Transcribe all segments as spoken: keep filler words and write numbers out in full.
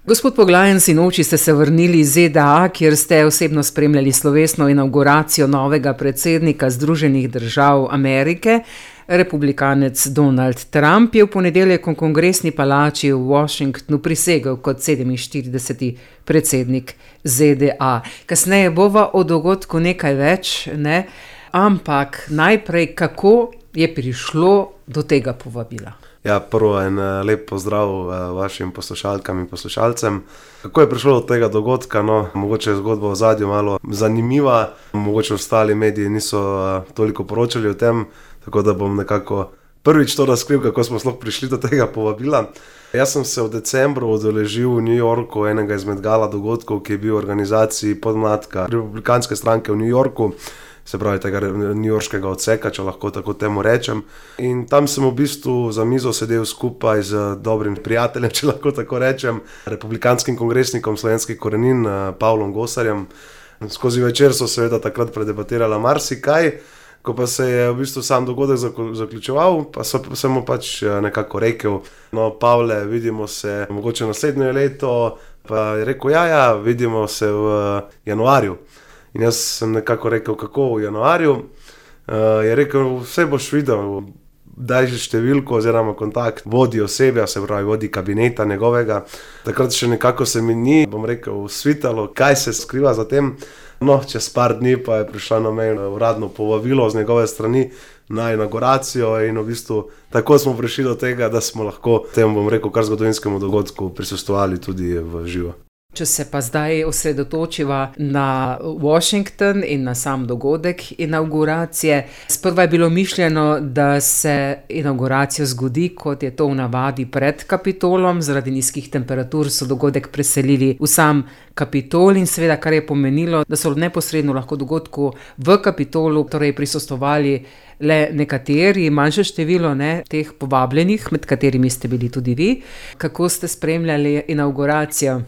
Gospod Poglajen, sinoči ste se vrnili iz Z D A, kjer ste osebno spremljali slovesno inavguracijo novega predsednika Združenih držav Amerike. Republikanec Donald Trump je v ponedeljek v Kongresni palači v Washingtonu prisegel kot sedeminštirideseti predsednik Z D A. Kasneje bova o dogodku nekaj več, ne? Ampak najprej, kako je prišlo do tega povabila? Ja, prvo en lep pozdrav vašim poslušalkam in poslušalcem. Kako je prišlo do tega dogodka? No, mogoče je zgodba v zadju malo zanimiva, mogoče ostali mediji niso toliko poročali o tem, tako da bom nekako prvič to razkril, kako smo sploh prišli do tega povabila. Jaz sem se v decembru udeležil v New Yorku enega izmed gala dogodkov, ki je bil v organizaciji podmladka Republikanske stranke v New Yorku, se pravi tega newyorškega odseka, če lahko tako temu rečem. In tam sem v bistvu za mizo sedel skupaj z dobrim prijateljem, če lahko tako rečem, republikanskim kongresnikom slovenskih korenin, Pavlom Gosarjem. Skozi večer so seveda takrat predebatirala marsikaj, ko pa se je v bistvu sam dogodek zaključeval, pa sem mu pač nekako rekel, no, Pavle, vidimo se mogoče naslednje leto, pa je rekel, ja, ja, vidimo se v januarju. In jaz sem nekako rekel, kako v januarju, uh, je rekel, vse boš videl, daj že številko oziroma kontakt vodi osebja, se pravi vodi kabineta njegovega. Takrat še nekako se mi ni, bom rekel, svitalo, kaj se skriva za tem. No, čez par dni pa je prišla na mej uradno povabilo z njegove strani na inauguracijo in v bistvu tako smo prišli do tega, da smo lahko temu, bom rekel, kar zgodovinskemu dogodku prisostvovali tudi v živo. Če se pa zdaj osredotočiva na Washington in na sam dogodek inauguracije. Sprva je bilo mišljeno, da se inauguracija zgodi, kot je to v navadi pred Kapitolom. Zaradi nizkih temperatur so dogodek preselili v sam Kapitol in seveda, kar je pomenilo, da so neposredno lahko dogodku v Kapitolu torej prisostvovali le nekateri, manjše število ne, teh povabljenih, med katerimi ste bili tudi vi. Kako ste spremljali inauguracijo?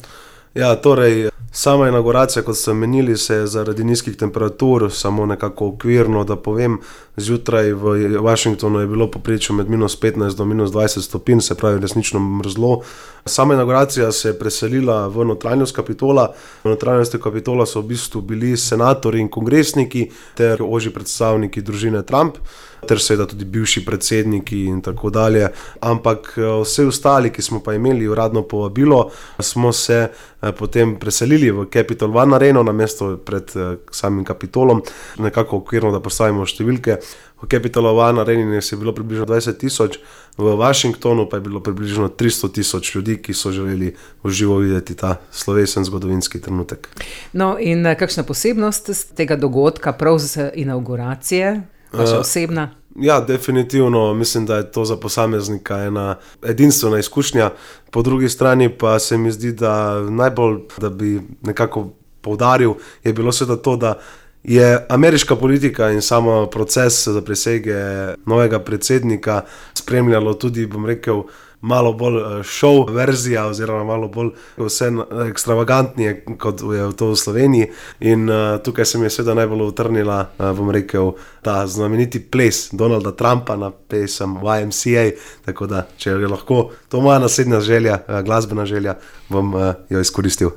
Ja, torej, sama inauguracija, kot ste omenili, se je zaradi nizkih temperatur, samo nekako okvirno, da povem, zjutraj v Washingtonu je bilo povprečno med minus petnajst do minus dvajset stopinj, se pravi resnično mrzlo. Sama inauguracija se je preselila v notranjost Kapitola. V notranjosti Kapitola so v bistvu bili senatorji in kongresniki ter ožji predstavniki družine Trump, ter seveda tudi bivši predsedniki in tako dalje. Ampak vse ostali, ki smo pa imeli uradno povabilo, smo se potem preselili v Capitol One Areno na mesto pred samim Kapitolom, nekako okvirno, da postavimo številke. V Capitol One Areni je bilo približno dvajset tisoč, v Washingtonu pa je bilo približno tristo tisoč ljudi, ki so želeli v živo videti ta slovesen zgodovinski trenutek. No in kakšna posebnost tega dogodka, prav z inauguracije, vaša osebna? Ja, definitivno mislim, da je to za posameznika ena edinstvena izkušnja. Po drugi strani pa se mi zdi, da najbolj, da bi nekako poudaril, je bilo seveda to, da je ameriška politika in samo proces za prisege novega predsednika spremljalo tudi, bom rekel, malo bolj show verzija oziroma malo bolj vse ekstravagantnije, kot je to v Sloveniji. In uh, tukaj se mi je seveda najbolj utrnila, uh, bom rekel, ta znameniti ples Donalda Trumpa na pesem Y M C A, tako da, če je lahko, to moja naslednja želja, uh, glasbena želja, bom uh, jo izkoristil.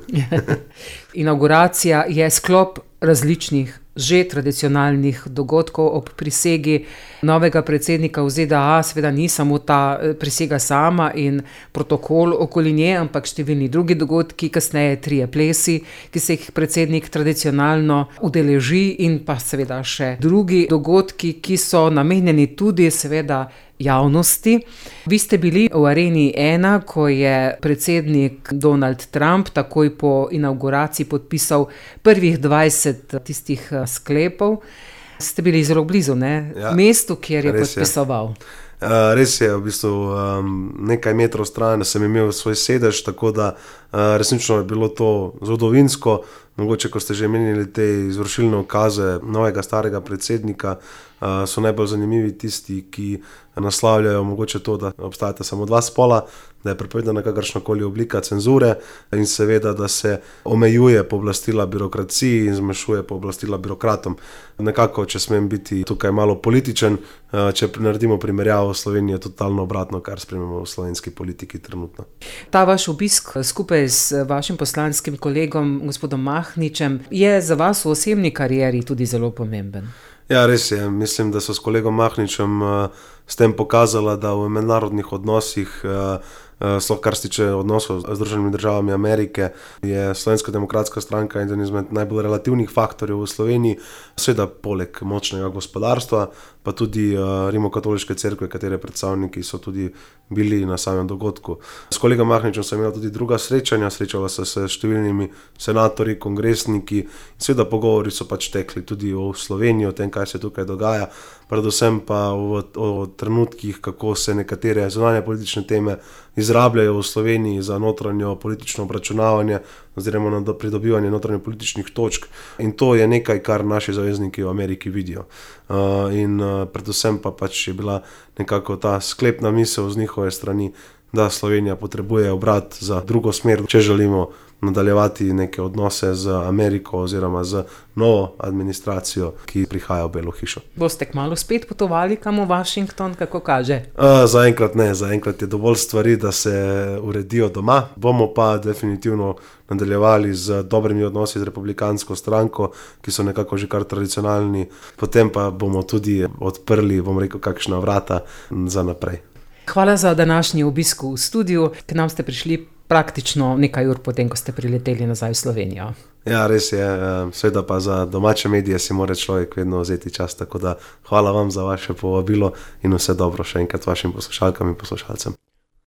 Inauguracija je sklop različnih, že tradicionalnih dogodkov ob prisegi novega predsednika v Z D A. Seveda ni samo ta prisega sama in protokol okoli nje, ampak številni drugi dogodki, kasneje trije plesi, ki se jih predsednik tradicionalno udeleži, in pa seveda še drugi dogodki, ki so namenjeni tudi seveda javnosti. Vi ste bili v Areni ena, ko je predsednik Donald Trump takoj po inauguraciji podpisal prvih dvajset tistih sklepov. Ste bili zelo blizu, ne? Ja, mestu, kjer je podpisoval. Je. Uh, res je, v bistvu um, nekaj metrov stran sem imel svoj sedež, tako da uh, resnično je bilo to zgodovinsko. Mogoče, ko ste že menili te izvršilne ukaze novega starega predsednika, so najbolj zanimivi tisti, ki naslavljajo mogoče to, da obstajata samo dva spola, da je prepovedana kakršnakoli oblika cenzure in seveda, da se omejuje pooblastila birokraciji in zmanjšuje pooblastila birokratom. Nekako, če smem biti tukaj malo političen, če naredimo primerjavo s Slovenijo, je totalno obratno, kar spremljamo v slovenski politiki trenutno. Ta vaš obisk skupaj z vašim poslanskim kolegom, gospodom Mahničem, je za vas v osebni karieri tudi zelo pomemben. Ja, res je. Mislim, da so s kolegom Mahničem s tem pokazala, da v mednarodnih odnosih, sploh kar se tiče odnosov z Združenimi državami Amerike, je Slovenska demokratska stranka eden izmed najbolj relativnih faktorjev v Sloveniji, seveda poleg močnega gospodarstva, pa tudi Rimokatoliške cerkve, katere predstavniki so tudi bili na samem dogodku. S kolegom Mahničem sem imel tudi druga srečanja, srečala so se s številnimi senatorji, kongresniki, seveda pogovori so pač tekli tudi o Sloveniji, o tem, kaj se tukaj dogaja, predvsem pa o, o trenutkih, kako se nekatere zunanje politične teme izrabljajo v Sloveniji za notranjo politično obračunavanje oziroma na pridobivanje notranje političnih točk. In to je nekaj, kar naši zavezniki v Ameriki vidijo. Uh, in uh, predvsem pa pač je bila nekako ta sklepna misel z njihove strani, da Slovenija potrebuje obrat za drugo smer, če želimo nadaljevati neke odnose z Ameriko oziroma z novo administracijo, ki prihaja v Belo hišo. Boste kmalu spet potovali kam v Washington, kako kaže? Uh, zaenkrat ne, zaenkrat je dovolj stvari, da se uredijo doma. Bomo pa definitivno nadaljevali z dobrimi odnosi z republikansko stranko, ki so nekako že kar tradicionalni. Potem pa bomo tudi odprli, bom rekel, kakšna vrata za naprej. Hvala za današnji obisk v studiu. K nam ste prišli praktično nekaj ur potem, ko ste prileteli nazaj v Slovenijo. Ja, res je. Seveda pa za domače medije si mora človek vedno vzeti čas, tako da hvala vam za vaše povabilo in vse dobro še enkrat vašim poslušalkam in poslušalcem.